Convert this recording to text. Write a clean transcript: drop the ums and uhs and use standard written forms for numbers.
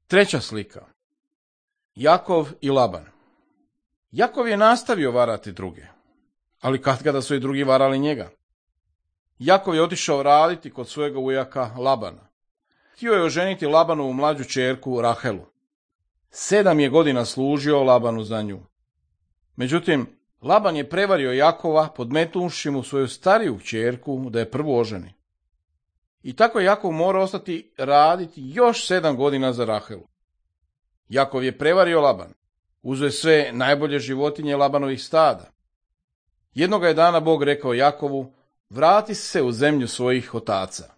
Treća slika. Jakov i Laban. Jakov je nastavio varati druge, ali katkada su i drugi varali njega. Jakov je otišao raditi kod svojega ujaka Labana. Htio je oženiti Labanovu mlađu ćerku Rahelu. 7 je godina služio Labanu za nju. Međutim, Laban je prevario Jakova podmetnuvši mu svoju stariju ćerku da je prvu oženi. I tako je Jakov morao ostati raditi još 7 godina za Rahelu. Jakov je prevario Laban. Uzeo je sve najbolje životinje Labanovih stada. Jednoga je dana Bog rekao Jakovu: vrati se u zemlju svojih otaca.